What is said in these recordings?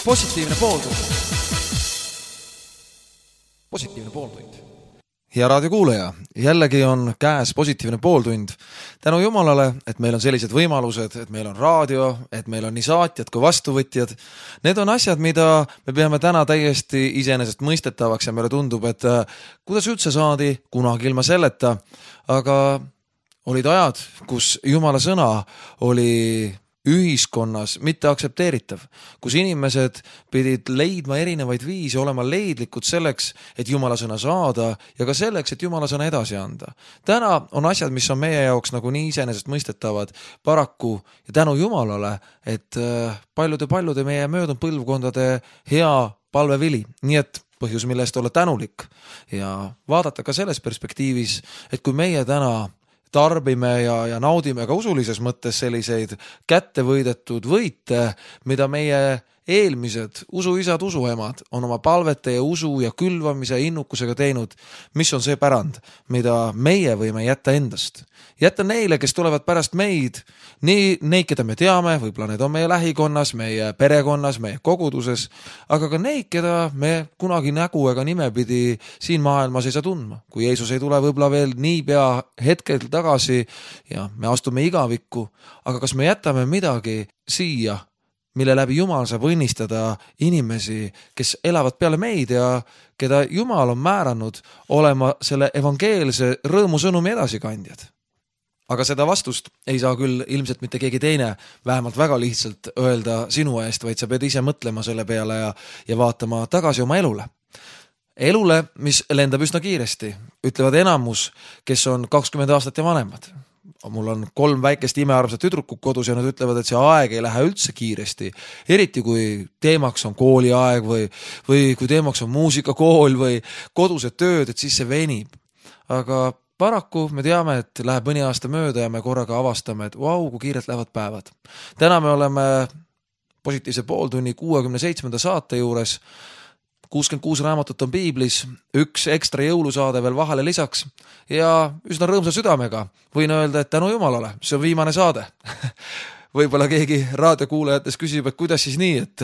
Positiivne pooltund. Positiivne pooltund. Ja raadiokuulaja, jällegi on käes positiivne pooltund. Tänu Jumalale, et meil on sellised võimalused, et meil on raadio, et meil on nii saatjad kui vastuvõtjad. Need on asjad, mida me peame täna täiesti iseenesest mõistetavaks ja meile tundub, et kuidas üldse saadi kunagi ilma selleta. Aga olid ajad, kus Jumala sõna oli ühiskonnas mitte aktsepteeritav, kus inimesed pidid leidma erinevaid viise, olema leidlikud selleks, et Jumala sõna saada ja ka selleks, et Jumala sõna edasi anda. Täna on asjad, mis on meie jaoks nagu nii iseenesest mõistetavad paraku ja tänu Jumalale, et paljude meie möödunud põlvkondade hea palvevili. Nii et põhjus, millest olla tänulik ja vaadata ka selles perspektiivis, et kui meie täna tarbime ja naudime ka usulises mõttes selliseid kättevõidetud võite, mida meie eelmised usuisad, usuemad on oma palvete ja usu ja külvamise ja innukusega teinud, mis on see pärand, mida meie võime jätta endast. Jätta neile, kes tulevad pärast meid, nii neid, keda me teame, võib-olla need on meie lähikonnas, meie perekonnas, meie koguduses, aga ka neid, keda me kunagi nägu ega nimepidi siin maailmas ei saa tundma. Kui Jeesus ei tule võib-olla veel niipea hetkel tagasi ja me astume igavikku, aga kas me jätame midagi siia, mille läbi Jumal saab õnnistada inimesi, kes elavad peale meid ja keda Jumal on määranud olema selle evangeelse rõõmusõnumi edasikandjad. Aga seda vastust ei saa küll ilmselt mitte keegi teine vähemalt väga lihtsalt öelda sinu eest, vaid sa pead ise mõtlema selle peale ja vaatama tagasi oma elule. Elule, mis lendab üsna kiiresti, ütlevad enamus, kes on 20 aastat ja vanemad. Mul on 3 väikest imearmsat tüdrukut kodus ja nad ütlevad, et see aeg ei lähe üldse kiiresti. Eriti kui teemaks on kooliaeg või kui teemaks on muusikakool või kodused tööd, et siis see venib. Aga paraku me teame, et läheb mõni aasta mööda ja me korraga avastame, et kui kiirelt lähevad päevad. Täna me oleme positiivse pooltunni 67. saate juures. 66 raamatut on Piiblis, 1 ekstra jõulusaade veel vahele lisaks ja üsna rõõmsa südamega võin öelda, et tänu Jumalale, see on viimane saade. Võib-olla keegi raadiokuulajates küsib, et kuidas siis nii, et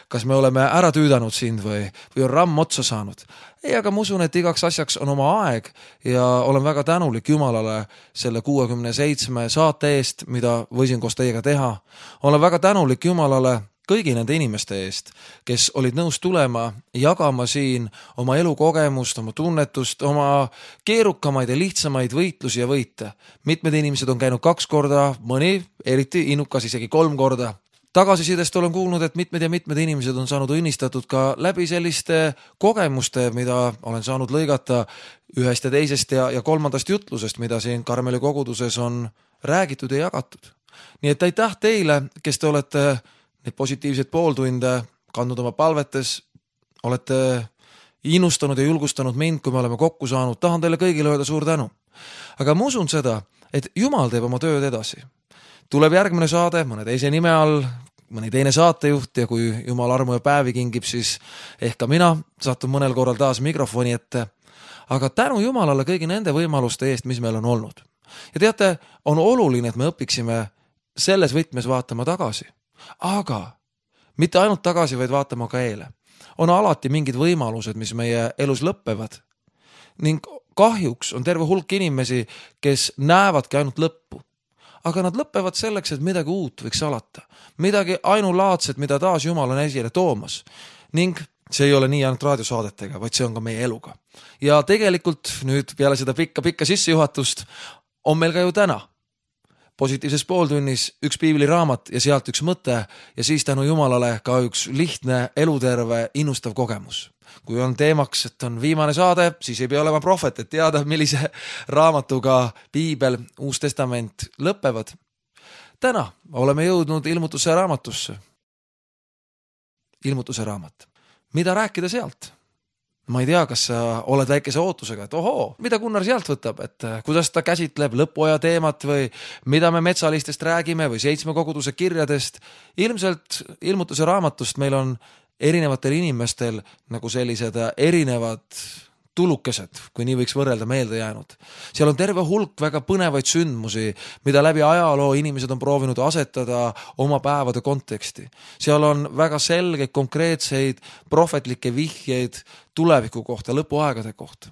kas me oleme ära tüüdanud sind või on ramm otsa saanud. Ei, aga ma usun, et igaks asjaks on oma aeg ja olen väga tänulik Jumalale selle 67 saate eest, mida võisin koos teiega teha. Olen väga tänulik Jumalale kõigi nende inimeste eest, kes olid nõus tulema, jagama siin oma elukogemust, oma tunnetust, oma keerukamaid ja lihtsamaid võitlusi ja võite. Mitmed inimesed on käinud 2 korda, mõni, eriti innukas isegi 3 korda. Tagasisidest olen kuulnud, et mitmed inimesed on saanud õnnistatud ka läbi selliste kogemuste, mida olen saanud lõigata ühest ja teisest ja 3. jutlusest, mida siin Karmeli koguduses on räägitud ja jagatud. Nii et aitäh teile, kes te olete need positiivsed pooltunde kandnud oma palvetes, olete innustanud ja julgustanud mind, kui me oleme kokku saanud. Tahan teile kõigile öelda suur tänu. Aga ma usun seda, et Jumal teeb oma tööd edasi. Tuleb järgmine saade, mõne teise nime all, mõni teine saatejuht ja kui Jumal armu ja päevi kingib, siis ehk ka mina satun mõnel korral taas mikrofoni ette. Aga tänu Jumalale kõigi nende võimaluste eest, mis meil on olnud. Ja teate, on oluline, et me õpiksime selles võtmes vaatama tagasi. Aga mitte ainult tagasi, vaid vaatama ka eele. On alati mingid võimalused, mis meie elus lõppevad. Ning kahjuks on terve hulk inimesi, kes näevadki ainult lõppu. Aga nad lõppevad selleks, et midagi uut võiks alata. Midagi ainulaadset, mida taas Jumal on esile toomas. Ning see ei ole nii ainult raadiosaadetega, vaid see on ka meie eluga. Ja tegelikult nüüd peale seda pikka sissejuhatust on meil ka ju täna positiivses pooltunnis 1 piibliraamat ja sealt 1 mõte ja siis tänu Jumalale ka 1 lihtne, eluterve, innustav kogemus. Kui on teemaks, et on viimane saade, siis ei pea olema prohvet, et teada, millise raamatuga Piibel, Uus Testament lõppevad. Täna oleme jõudnud ilmutuse raamatusse. Ilmutuse raamat. Mida rääkida sealt? Ma ei tea, kas sa oled väikese ootusega, et mida Gunnar sealt võtab, et kuidas ta käsitleb lõpuaja teemat või mida me metsalistest räägime või 7 koguduse kirjadest. Ilmselt ilmutuse raamatust meil on erinevatel inimestel nagu sellised erinevad tulukesed, kui nii võiks võrrelda, meelde jäänud. Seal on terve hulk väga põnevaid sündmusi, mida läbi ajaloo inimesed on proovinud asetada oma päevade konteksti. Seal on väga selgeid, konkreetseid prohvetlikke vihjeid tuleviku kohta, lõpuaegade kohta.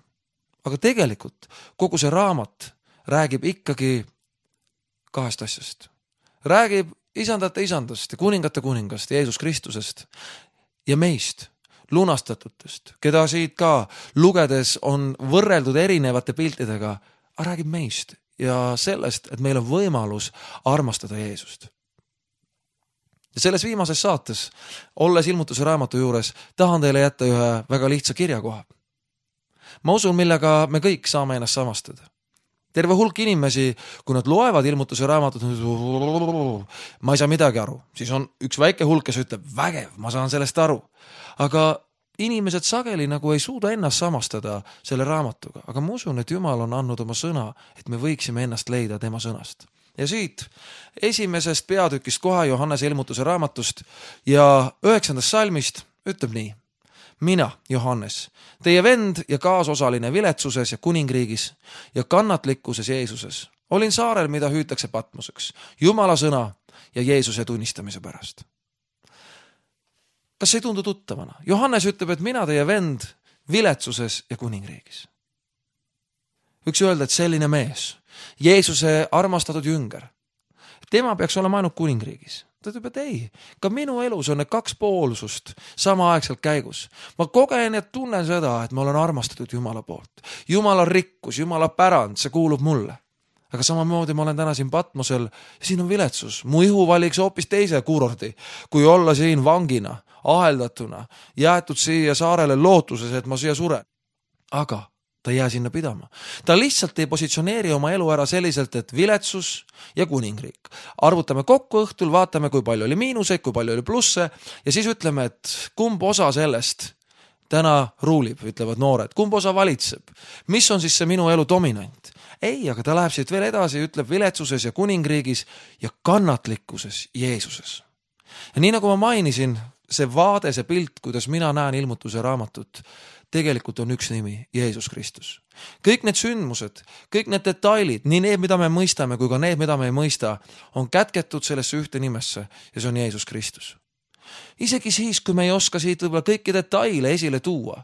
Aga tegelikult kogu see raamat räägib ikkagi kahest asjast. Räägib isandate isandast ja kuningate kuningast, Jeesus Kristusest ja meist, lunastatutest, keda siit ka lugedes on võrreldud erinevate piltidega, aga räägib meist ja sellest, et meil on võimalus armastada Jeesust. Ja selles viimases saates, olles ilmutuse raamatu juures, tahan teile jätta ühe väga lihtsa kirjakoha. Ma usun, millega me kõik saame ennast samastada. Terve hulk inimesi, kui nad loevad ilmutuse raamatut, ma ei saa midagi aru. Siis on üks väike hulk, kes ütleb, vägev, ma saan sellest aru. Aga inimesed sageli nagu ei suuda ennast samastada selle raamatuga. Aga ma usun, et Jumal on andnud oma sõna, et me võiksime ennast leida tema sõnast. Ja siit esimesest peatükist kohe Johannese ilmutuse raamatust ja 9. salmist ütleb nii. Mina, Johannes, teie vend ja kaasosaline viletsuses ja kuningriigis ja kannatlikkuses Jeesuses. Olin saarel, mida hüütakse Patmoseks, Jumala sõna ja Jeesuse tunnistamise pärast. Kas see ei tundu tuttavana? Johannes ütleb, et mina, teie vend, viletsuses ja kuningriigis. Võiks öelda, et selline mees, Jeesuse armastatud jünger, tema peaks olema ainult kuningriigis. Ta ütleb, et ei, ka minu elus on need kaks poolsust samaaegselt käigus. Ma kogen ja tunnen seda, et ma olen armastatud Jumala poolt. Jumala rikkus, Jumala pärand, see kuulub mulle. Aga samamoodi ma olen täna siin Patmosel ja siin on viletsus. Mu ihu valiks hoopis teise kurordi, kui olla siin vangina, aheldatuna, jäetud siia saarele lootuses, et ma siia suren. Aga ta ei jää sinna pidama. Ta lihtsalt ei positsioneeri oma elu ära selliselt, et viletsus ja kuningriik. Arvutame kokku õhtul, vaatame, kui palju oli miinuseid, kui palju oli plusse ja siis ütleme, et kumb osa sellest täna ruulib, ütlevad noored. Kumb osa valitseb? Mis on siis see minu elu dominant? Ei, aga ta läheb siit veel edasi, ütleb viletsuses ja kuningriigis ja kannatlikkuses Jeesuses. Ja nii nagu ma mainisin, see vaade, see pilt, kuidas mina näen ilmutuse raamatut, tegelikult on üks nimi, Jeesus Kristus. Kõik need sündmused, kõik need detailid, nii need, mida me mõistame, kui ka need, mida me ei mõista, on kätketud sellesse ühte nimesse ja see on Jeesus Kristus. Isegi siis, kui me ei oska siit võib-olla kõiki detaile esile tuua,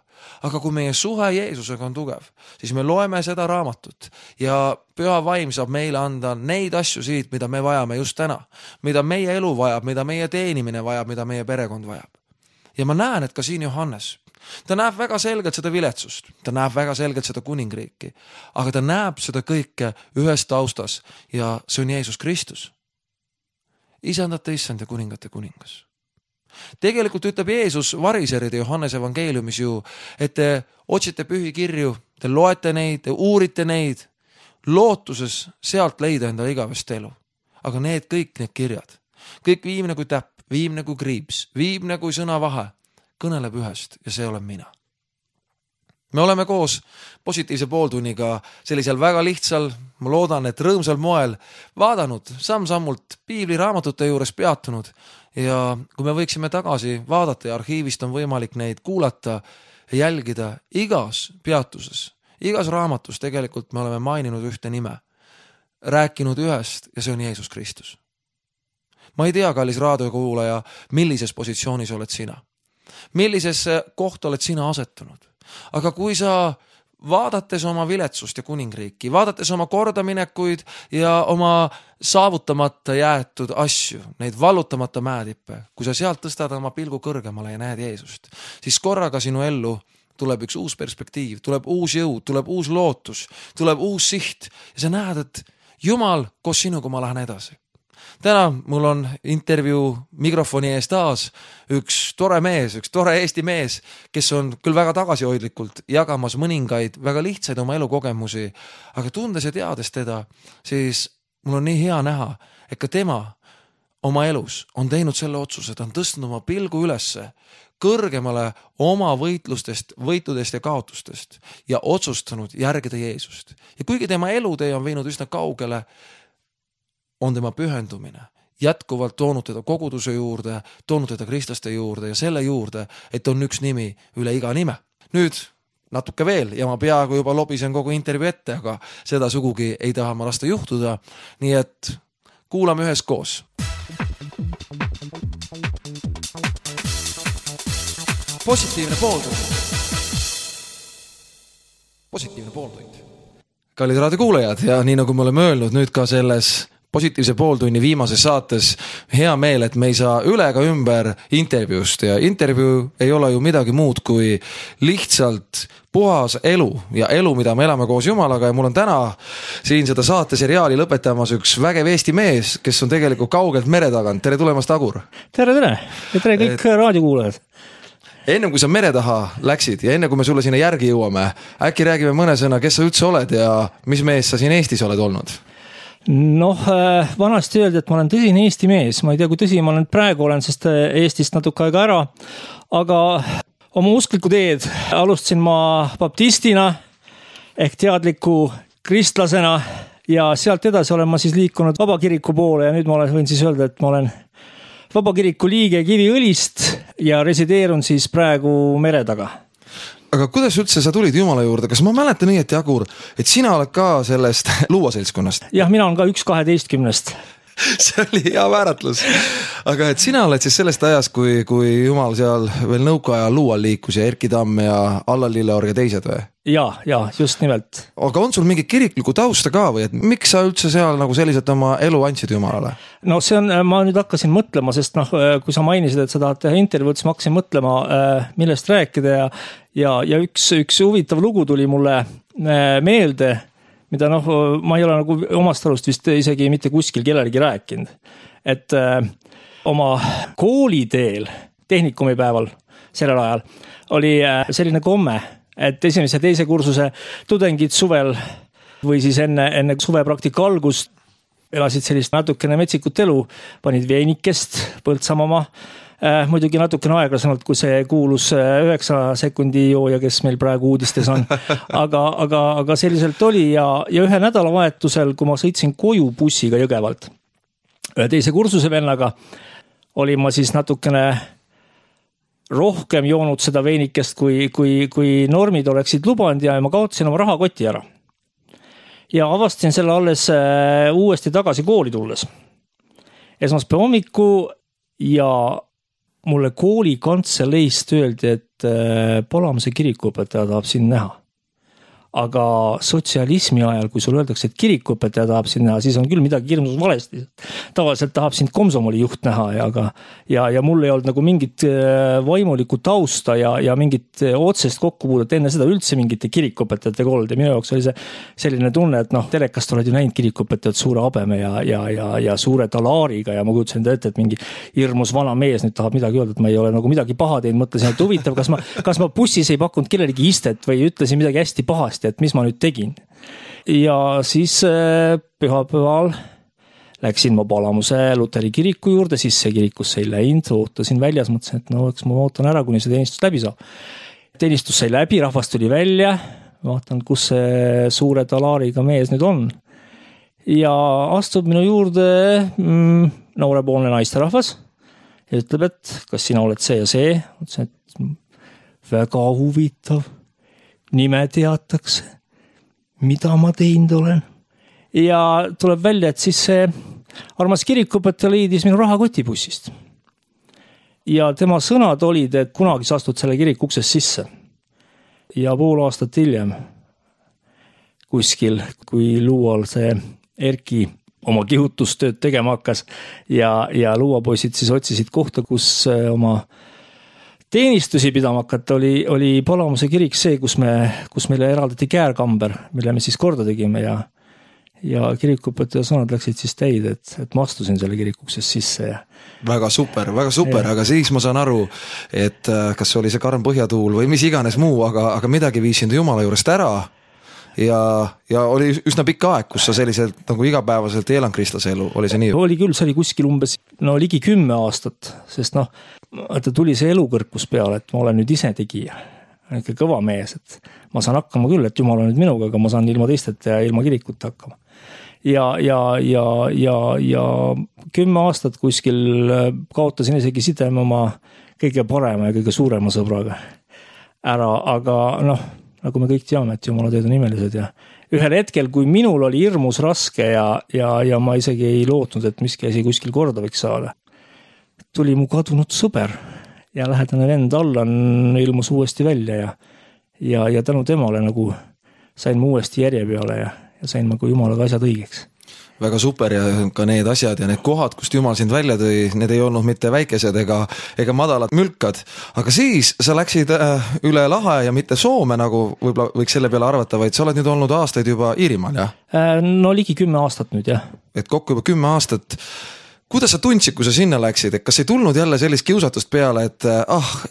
aga kui meie suhe Jeesusega on tugev, siis me loeme seda raamatut ja Püha Vaim saab meile anda neid asju siit, mida me vajame just täna, mida meie elu vajab, mida meie teenimine vajab, mida meie perekond vajab. Ja ma näen, et ka siin Johannes, ta näeb väga selgelt seda viletsust, ta näeb väga selgelt seda kuningriiki, aga ta näeb seda kõike ühes taustas ja see on Jeesus Kristus. Isandate issand ja kuningate kuningas. Tegelikult ütleb Jeesus variseride Johannes evangeeliumis ju, et te otsite pühi kirju, te loete neid, te uurite neid, lootuses sealt leida enda igavest elu. Aga kõik need kirjad, kõik viimne kui täpp, viimne kui kriips, viimne kui sõnavahe, kõneleb ühest ja see olen mina. Me oleme koos positiivse pooltunniga sellisel väga lihtsal, ma loodan, et rõõmsal moel vaadanud, samm-sammult piibliraamatute juures peatunud ja kui me võiksime tagasi vaadata ja arhiivist on võimalik neid kuulata ja jälgida igas peatuses, igas raamatus tegelikult me oleme maininud ühte nime, rääkinud ühest ja see on Jeesus Kristus. Ma ei tea, kallis raadiokuulaja, millises positsioonis oled sina, millisesse kohta oled sina asetunud. Aga kui sa vaadates oma viletsust ja kuningriiki, vaadates oma kordaminekuid ja oma saavutamata jäetud asju, neid vallutamata mäetippe, kui sa sealt tõstad oma pilgu kõrgemale ja näed Jeesust, siis korraga sinu ellu tuleb üks uus perspektiiv, tuleb uus jõud, tuleb uus lootus, tuleb uus siht ja sa näed, et Jumal, koos sinuga ma lähen edasi. Täna mul on intervjuu mikrofoni ees taas üks tore mees, üks tore Eesti mees, kes on küll väga tagasihoidlikult jagamas mõningaid väga lihtsaid oma elukogemusi, aga tundes ja teades teda, siis mul on nii hea näha, et ka tema oma elus on teinud selle otsuse, ta on tõstnud oma pilgu ülesse kõrgemale oma võitlustest, võitudest ja kaotustest ja otsustanud järgida Jeesust. Ja kuigi tema elutee on viinud üsna kaugele, on tema pühendumine jätkuvalt toonud teda koguduse juurde, toonud teda kristlaste juurde ja selle juurde, et on üks nimi üle iga nime. Nüüd natuke veel ja ma peaaegu juba lobisen kogu intervjuu ette, aga seda sugugi ei taha ma lasta juhtuda. Nii et kuulame üheskoos. Positiivne pooltund. Positiivne pooltund. Kallid raadiokuulajad ja nii nagu me oleme öelnud nüüd ka selles positiivse pooltunni viimases saates, hea meel, et me ei saa üle ega ümber intervjuust ja intervjuu ei ole ju midagi muud kui lihtsalt puhas elu ja elu, mida me elame koos Jumalaga ja mul on täna siin seda saateseriaali lõpetamas üks vägev Eesti mees, kes on tegelikult kaugelt mere tagant. Tere tulemast, Agur! Tere ja tere kõik raadiokuulajad! Ennem kui sa mere taha läksid ja enne kui me sulle sinna järgi jõuame, äkki räägime mõne sõna, kes sa üldse oled ja mis mees sa siin Eestis oled olnud? Vanasti öeldi, et ma olen tõsine Eesti mees. Ma ei tea, kui tõsi ma praegu olen, sest Eestist natuke aega ära. Aga oma uskliku teed alustasin ma baptistina ehk teadliku kristlasena ja sealt edasi olen ma siis liikunud vabakiriku poole ja nüüd ma võin siis öelda, et ma olen vabakiriku liige Kiviõlist ja resideerun siis praegu mere taga. Aga kuidas üldse sa tulid Jumala juurde? Kas ma mäletan õieti, Agur, et sina oled ka sellest luuaseltskonnast? Jah, mina olen ka 1-12. See oli hea määratlus. Aga et sina oled siis sellest ajast, kui Jumal seal veel nõukaajal luual liikus ja Erki Tamm ja Allar Lilleorg ja teised või? Ja, just nimelt. Aga on sul mingi kirikliku tausta ka või? Et miks sa üldse seal nagu selliselt oma elu andsid Jumalale? No see on, ma nüüd hakkasin mõtlema, sest kui sa mainisid, et sa tahad teha intervjuud, siis ma hakkasin mõtlema, millest rääkida ja üks huvitav lugu tuli mulle meelde, mida ma ei ole nagu omast arust vist isegi mitte kuskil kellelegi rääkinud. Et oma kooliteel, tehnikumipäeval sellel ajal, oli selline komme, et esimese ja teise kursuse tudengid suvel või siis enne suvepraktika algust elasid sellist natukene metsikut elu, panid veenikest Põltsamama, muidugi natukene aeglasemalt, kui see kuulus 9 sekundi jooja, kes meil praegu uudistes on. Aga selliselt oli ja ühe nädalavahetusel, kui ma sõitsin koju bussiga Jõgevalt, ühe teise kursuse vennaga, olin ma siis natukene rohkem joonud seda veenikest, kui normid oleksid lubanud ja ma kaotasin oma rahakoti ära. Ja avastasin selle alles uuesti tagasi kooli tulles. Esmaspäeva hommiku ja mulle kooli kantseleist öeldi, et Palamuse kirikuõpetaja tahab sind näha. Aga sotsialismi ajal, kui sul öeldakse, et kirikuõpetaja tahab sind näha, siis on küll midagi hirmus valesti. Tavaliselt tahab sind komsomoli juht näha ja mul ei olnud nagu mingit vaimulikku tausta ja mingit otsest kokkupuudet enne seda üldse mingite kirikuõpetajatega olnud. Ja minu jaoks oli see selline tunne, et telekast oled ju näinud kirikuõpetajad suure habeme ja suure talaariga ja ma kujutasin ette, et mingi hirmus vana mees nüüd tahab midagi öelda, et ma ei ole nagu midagi paha teinud, mõtlesin, et huvitav, kas ma bussis ei pakkunud kellelegi istet või ütlesin midagi hästi pahasti, et mis ma nüüd tegin. Ja siis pühapäeval läksin ma Palamuse Luteri kiriku juurde, siis see kirikusse ei läinud, ootasin väljas, mõtlesin, et eks ma ootan ära, kuni see teenistus läbi saab. Teenistus sai läbi, rahvast tuli välja, vaatan, kus see suure talaariga mees nüüd on. Ja astub minu juurde noorepoolne naisterahvas ja ütleb, et kas sina oled see ja see. Mõtlesin, et väga huvitav. Nime teatakse, mida ma teinud olen. Ja tuleb välja, et siis see armas kirikuõpetaja liidis minu rahakotibussist. Ja tema sõnad olid, et kunagi sa astud selle kiriku uksest sisse. Ja pool aastat hiljem kuskil, kui luual see Erki oma kihutustööd tegema hakkas ja luuapoisid siis otsisid kohta, kus oma teenistusi pidama hakata, oli Palamuse kirik see, kus meile eraldati käärkamber, mille me siis korda tegime ja kirikuõpetaja sõnad läksid siis täid, et ma astusin selle kirikuksest sisse. Väga super, aga siis ma saan aru, et kas oli see karm põhjatuul või mis iganes muu, aga midagi viisin Jumala juurest ära ja oli üsna pikk aeg, kus sa selliselt nagu igapäevaselt eelan kristlase elu, oli see nii? Oli küll, see oli kuskil umbes ligi 10 aastat, sest et tuli see elukõrkus peale, et ma olen nüüd ise tegija, ikka kõva mees, et ma saan hakkama küll, et Jumal on nüüd minuga, aga ma saan ilma teisteta ja ilma kirikut hakkama. Ja 10 aastat kuskil kaotasin isegi sideme oma kõige parema ja kõige suurema sõbraga ära, aga nagu me kõik teame, et jumala teed on imelised ja ühel hetkel, kui minul oli hirmus raske ja ma isegi ei lootnud, et miski asi kuskil korda võiks saada, tuli mu kadunud sõber ja lähedane vend Allan ilmus uuesti välja ja tänu temale nagu sain ma uuesti järje peale ja sain ma kui jumalaga asjad õigeks. Väga super ja ka need asjad ja need kohad, kust jumal sind välja tõi, need ei olnud mitte väikesed ega madalad mülkad, aga siis sa läksid üle lahe ja mitte Soome, nagu võib-olla võiks selle peale arvata, vaid sa oled nüüd olnud aastaid juba Iirimaal, jah? No ligi 10 aastat nüüd, jah. Et kokku juba 10 aastat. Kuidas sa tundsid, kui sa sinna läksid, et kas ei tulnud jälle sellist kiusatust peale, et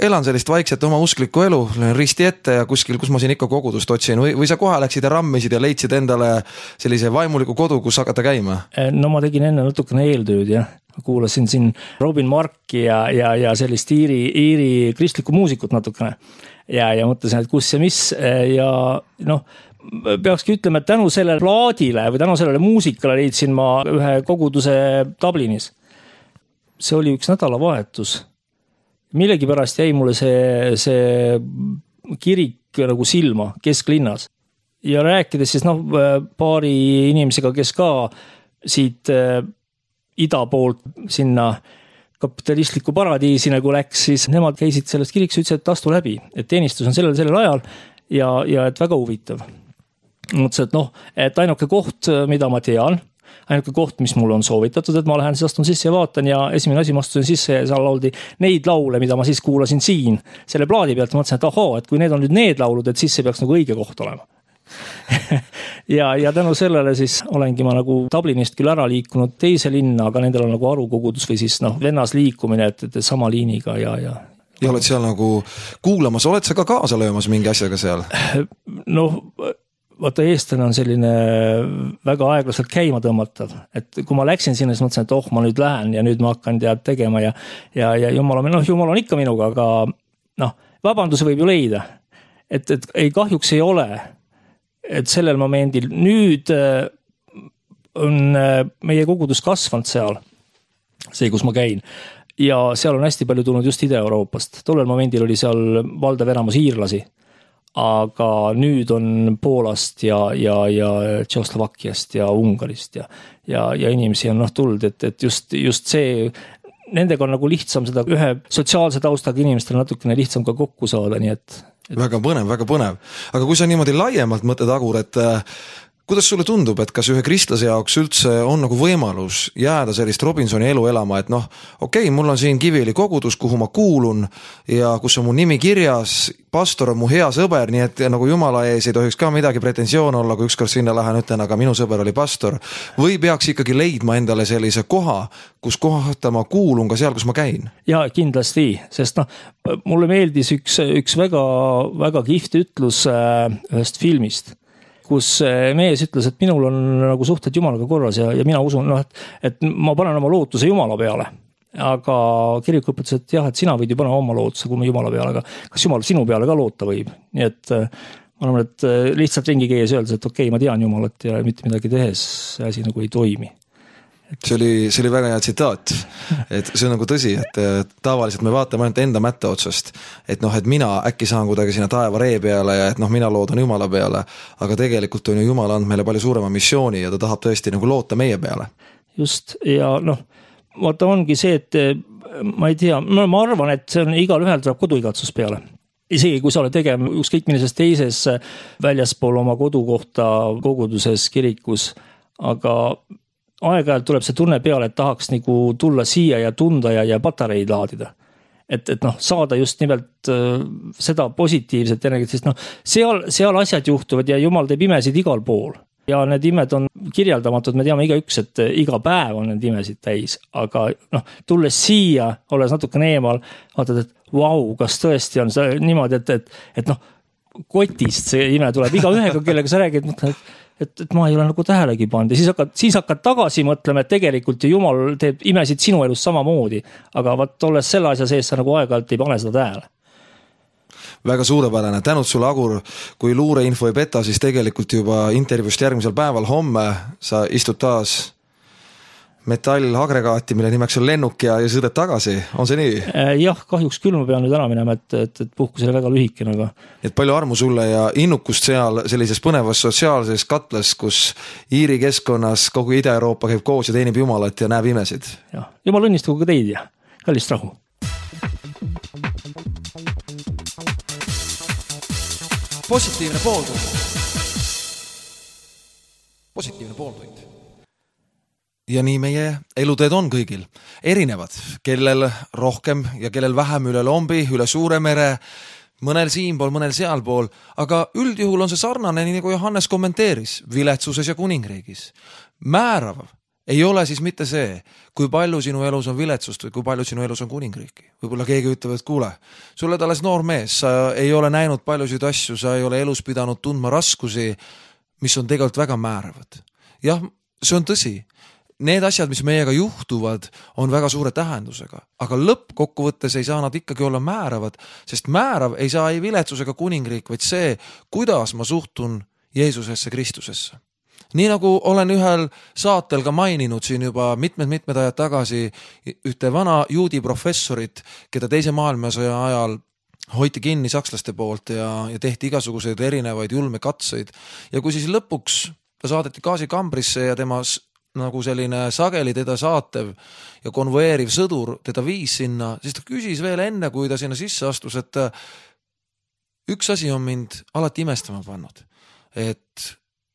elan sellist vaikset oma usklikku elu, löön risti ette ja kuskil, kus ma siin ikka kogudust otsin või sa kohe läksid ja rammisid ja leidsid endale sellise vaimuliku kodu, kus hakata käima? No ma tegin enne natukene eeltööd, jah. Kuulasin siin Robin Marki ja sellist Iiri kristlikku muusikut natukene ja mõtlesin, et kus ja mis ja noh, peakski ütlema, et tänu sellele plaadile või tänu sellele muusikale leidsin ma ühe koguduse Dublinis. See oli üks nädalavahetus. Millegipärast jäi mulle see kirik nagu silma kesklinnas. Ja rääkides siis paari inimesega, kes ka siit ida poolt sinna kapitalistliku paradiisi nagu läks, siis nemad käisid sellest kiriks ja ütlesid, et astu läbi, et teenistus on sellel ajal ja et väga huvitav. Mõtlesin, et ainuke koht, mida ma tean, ainuke koht, mis mulle on soovitatud, et ma lähen siis astun sisse ja vaatan ja esimene asi ma astusin sisse ja seal lauldi neid laule, mida ma siis kuulasin siin selle plaadi pealt ja mõtlesin, et et kui need on nüüd need laulud, et siis see peaks nagu õige koht olema. ja tänu sellele siis olengi ma nagu Dublinist küll ära liikunud teise linna, aga nendel on nagu arukogudus või siis vennas liikumine, et sama liiniga ja oled seal nagu kuulamas, oled sa ka kaasa löömas mingi asjaga seal? Vaata, eestlane on selline väga aeglaselt käima tõmmatav, et kui ma läksin sinna, siis mõtlesin, et ma nüüd lähen ja nüüd ma hakkan tegema ja jumal on ikka minuga, aga vabanduse võib ju leida, et ei kahjuks ei ole, et sellel momendil nüüd on meie kogudus kasvanud seal, see, kus ma käin ja seal on hästi palju tulnud just Ida-Euroopast, tollel momendil oli seal valdav enamus iirlasi, aga nüüd on Poolast ja Tšehhoslovakkiast ja Ungarist ja inimesi on tulnud, et just see, nendega on nagu lihtsam seda ühe sotsiaalse taustaga inimestel natukene lihtsam ka kokku saada, nii et väga põnev, väga põnev. Aga kui sa niimoodi laiemalt mõtled, Agur, et kuidas sulle tundub, et kas ühe kristlase jaoks üldse on nagu võimalus jääda sellist Robinsoni elu elama, et okei, mul on siin Kiviõli kogudus, kuhu ma kuulun ja kus on mu nimi kirjas, pastor on mu hea sõber, nii et nagu jumala ees ei tohiks ka midagi pretensioon olla, kui ükskord sinna lähen, ütlen, aga minu sõber oli pastor. Või peaks ikkagi leidma endale sellise koha, kus kohta ma kuulun ka seal, kus ma käin? Ja kindlasti, sest mulle meeldis üks väga, väga kihvt ütlus ühest filmist, kus mees ütles, et minul on nagu suhted jumalaga korras ja mina usun, et ma panen oma lootuse jumala peale. Aga kirik õpetas, et jah, et sina võid ju panna oma lootuse, kui me jumala peale, aga kas jumal sinu peale ka loota võib? Nii et ma arvan, et lihtsalt ringi käies öeldes, et okei, ma tean jumalat ja mitte midagi tehes see asi nagu ei toimi. See oli väga hea tsitaat, et see on nagu tõsi, et tavaliselt me vaatame ainult enda mätta otsast, et mina äkki saan kuidagi sinna taeva ree peale ja et mina loodan jumala peale, aga tegelikult on ju jumal andnud meile palju suurema missiooni ja ta tahab tõesti nagu loota meie peale. Just, ja vaata ongi see, et ma ei tea, ma arvan, et see on igal ühel tuleb koduigatsus peale. Isegi kui sa oled tegema ükskõik millises teises väljaspool oma kodukohta koguduses, kirikus, aga aeg-ajalt tuleb see tunne peale, et tahaks nagu tulla siia ja tunda ja patareid laadida. Et saada just nimelt seda positiivset energiat, sest seal asjad juhtuvad ja jumal teeb imesid igal pool. Ja need imed on kirjeldamatud, me teame igaüks, et iga päev on need imesid täis, aga tulles siia, olles natukene eemal, vaatad, et vau, kas tõesti on see niimoodi, et kotist see ime tuleb iga ühega, kellega sa räägid, et ma ei ole nagu tähelegi pannud ja siis hakkad tagasi mõtlema, et tegelikult ju jumal teeb imesid sinu elus samamoodi, aga olles selle asja sees, sa nagu aeg-ajalt ei pane seda tähele. Väga suurepärane, tänud sulle, Agur, kui luureinfo ei peta, siis tegelikult juba intervjuust järgmisel päeval homme sa istud taas metallagregaati, mille nimeks on lennuk ja sõidad tagasi, on see nii? Jah, kahjuks küll ma pean nüüd ära minema, et puhkus oli väga lühikene, aga... Et palju armu sulle ja innukust seal sellises põnevas sotsiaalses katles, kus Iiri keskkonnas kogu Ida-Euroopa käib koos ja teenib Jumalat ja näeb imesid. Jah, Jumal õnnistagu ka teid ja kallist rahu. Positiivne pooltund. Positiivne pooltund. Ja nii meie eluteed on kõigil erinevad, kellel rohkem ja kellel vähem üle lombi, üle suure mere, mõnel siinpool, mõnel sealpool, aga üldjuhul on see sarnane, nii nagu Johannes kommenteeris, viletsuses ja kuningriigis. Määrav ei ole siis mitte see, kui palju sinu elus on viletsust või kui palju sinu elus on kuningriiki. Võib-olla keegi ütleb, et kuule, sulle alles noor mees, sa ei ole näinud paljusid asju, sa ei ole elus pidanud tundma raskusi, mis on tegelikult väga määravad. Jah, see on tõsi. Need asjad, mis meiega juhtuvad, on väga suure tähendusega, aga lõppkokkuvõttes ei saa nad ikkagi olla määravad, sest määrav ei saa ei viletsusega kuningriik, vaid see, kuidas ma suhtun Jeesusesse Kristusesse. Nii nagu olen ühel saatel ka maininud siin juba mitmed ajad tagasi ühte vana juudi professorit, keda teise maailmasõja ajal hoiti kinni sakslaste poolt ja tehti igasuguseid erinevaid julme katseid. Ja kui siis lõpuks ta saadeti gaasikambrisse ja tema nagu selline sageli teda saatev ja konvoeeriv sõdur teda viis sinna, siis ta küsis veel enne, kui ta sinna sisse astus, et üks asi on mind alati imestama pannud, et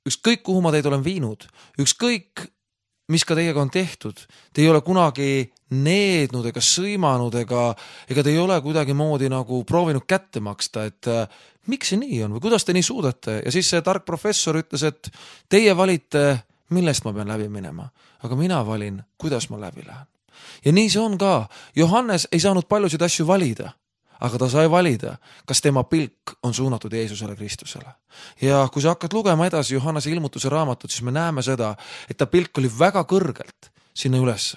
ükskõik kuhu ma teid olen viinud, ükskõik mis ka teiega on tehtud, te ei ole kunagi neednud ega sõimanud ega te ei ole kuidagi moodi nagu proovinud kätte maksta, et miks see nii on või kuidas te nii suudate? Ja siis see tark professor ütles, et teie valite, millest ma pean läbi minema, aga mina valin, kuidas ma läbi lähen. Ja nii see on ka. Johannes ei saanud paljusid asju valida, aga ta sai valida, kas tema pilk on suunatud Jeesusele Kristusele. Ja kui sa hakkad lugema edasi Johannese ilmutuse raamatut, siis me näeme seda, et ta pilk oli väga kõrgelt sinna üles.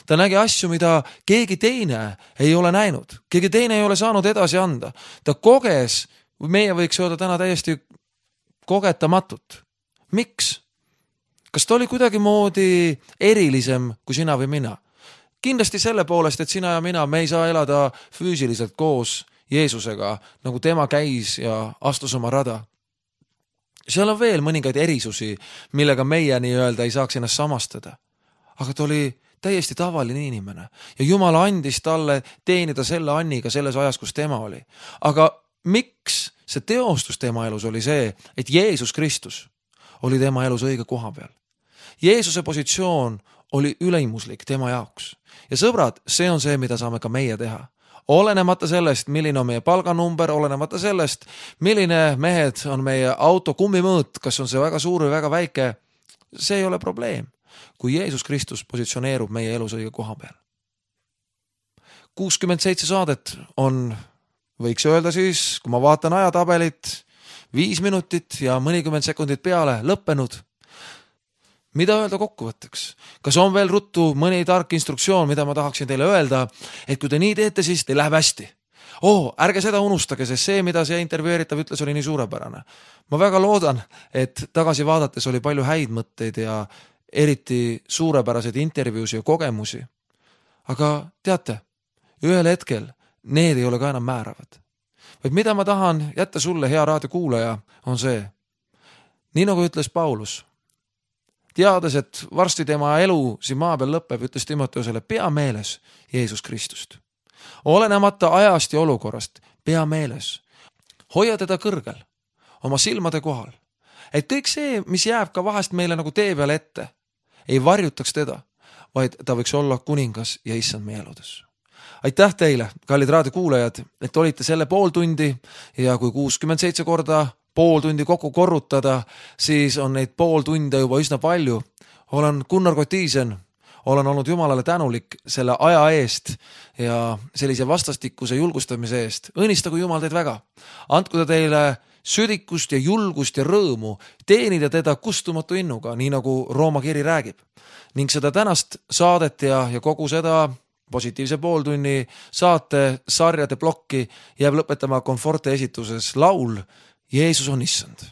Ta nägi asju, mida keegi teine ei ole näinud. Keegi teine ei ole saanud edasi anda. Ta koges, meie võiks öelda täna täiesti kogetamatut. Miks? Kas ta oli kuidagi moodi erilisem kui sina või mina? Kindlasti selle poolest, et sina ja mina, me ei saa elada füüsiliselt koos Jeesusega, nagu tema käis ja astus oma rada. Seal on veel mõningaid erisusi, millega meie nii-öelda ei saaks ennast samastada. Aga ta oli täiesti tavaline inimene ja Jumal andis talle teenida selle anniga selles ajas, kus tema oli. Aga miks see teostus tema elus oli see, et Jeesus Kristus oli tema elus õige koha peal? Jeesuse positsioon oli üleimuslik tema jaoks. Ja sõbrad, see on see, mida saame ka meie teha. Olenemata sellest, milline on meie palganumber, olenemata sellest, milline mehed on meie auto kummimõõt, kas on see väga suur või väga väike, see ei ole probleem, kui Jeesus Kristus positsioneerub meie elus õige koha peal. 67 saadet on, võiks öelda siis, kui ma vaatan ajatabelit, 5 minutit ja mõnikümmend sekundit peale lõppenud. Mida öelda kokkuvõtteks? Kas on veel ruttu mõni tark instruktsioon, mida ma tahaksin teile öelda, et kui te nii teete, siis teil läheb hästi. Ärge seda unustage, sest see, mida see intervjueeritav ütles, oli nii suurepärane. Ma väga loodan, et tagasi vaadates oli palju häid mõtteid ja eriti suurepäraseid intervjuusi ja kogemusi. Aga teate, ühel hetkel need ei ole ka enam määravad. Vaid mida ma tahan jätta sulle, hea raadiokuulaja, on see. Nii nagu ütles Paulus, teades, et varsti tema elu siin maa peal lõpeb, ütles Timoteusele, pea meeles Jeesus Kristust. Olenemata ajast ja olukorrast, pea meeles. Hoia teda kõrgel, oma silmade kohal. Et kõik see, mis jääb ka vahest meile nagu tee peale ette, ei varjutaks teda, vaid ta võiks olla kuningas ja issand meie eludes. Aitäh teile, kallid raadiokuulajad, et olite selle pool tundi ja kui 67 korda pool tundi kokku korrutada, siis on neid pool tunde juba üsna palju. Olen Gunnar Kotiisen, olen olnud Jumalale tänulik selle aja eest ja sellise vastastikuse julgustamise eest. Õnnistagu Jumal teid väga. Andku ta teile südikust ja julgust ja rõõmu teenida teda kustumatu innuga, nii nagu Rooma kiri räägib. Ning seda tänast saadet ja kogu seda positiivse pooltunni saate sarjade plokki jääb lõpetama Komforte esituses laul Jeesus on issand.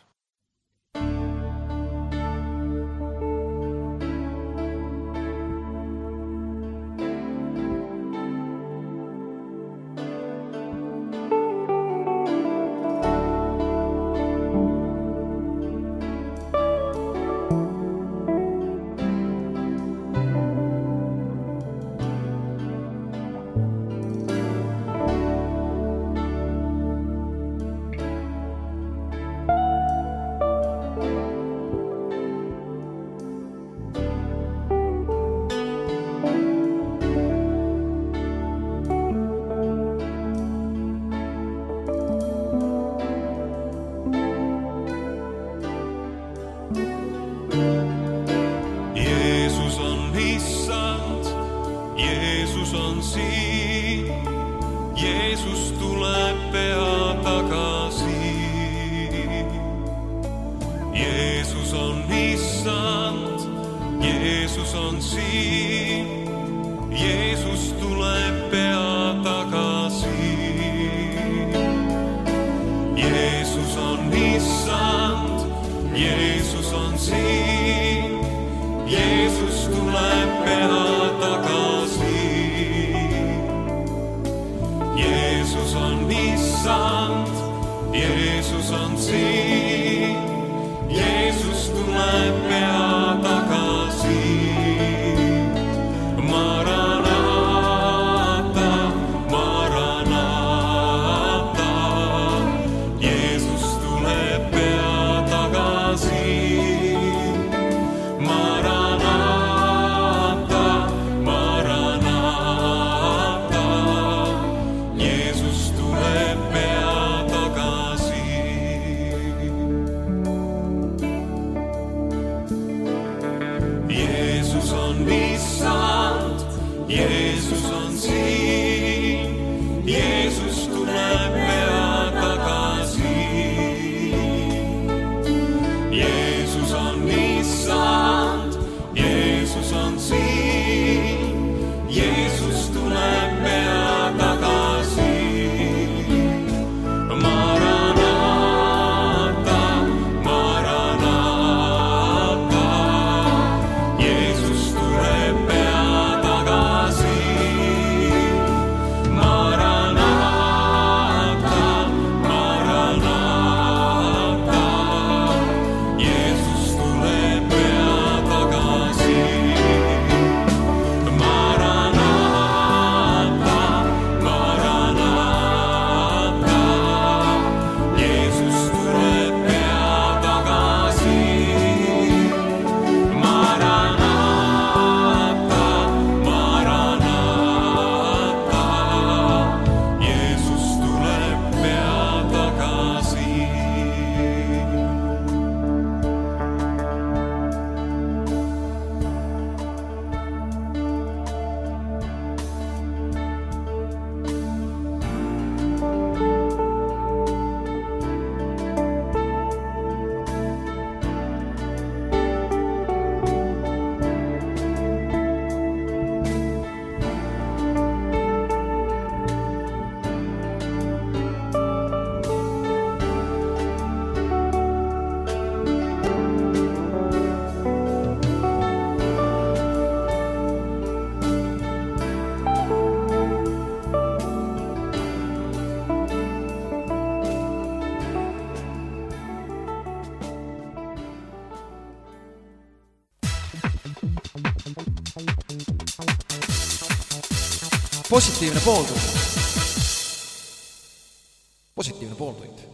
Jeesus on siin, Jeesus tuleb pea tagasi. Jeesus on issand, Jeesus on siin, Jeesus tuleb pea tagasi. Jeesus on issand, Jeesus on siin, Jeesus tuleb pea tagasi. Jeesus on issand, Jeesus on siin, Jeesus tuleb pea tagasi. Maranata, Maranata, Jeesus tuleb pea tagasi. Maranata, Maranata, Jeesus tuleb pea tagasi. Jeesus on issand, Jeesus on siin, Jeesus tuleb pea tagasi. Jeesus on issand, Jeesus on siin, Jeesus tuleb pea tagasi. Maranata, Maranata, Jeesus tuleb pea tagasi. Maranata, Maranata, Jeesus tuleb pea tagasi. Maranata, Maranata, Jeesus tuleb pea tagasi. Maranata, Maranata, Jeesus tuleb pea tagasi. Positiivne pooltund. Positiivne pooltund.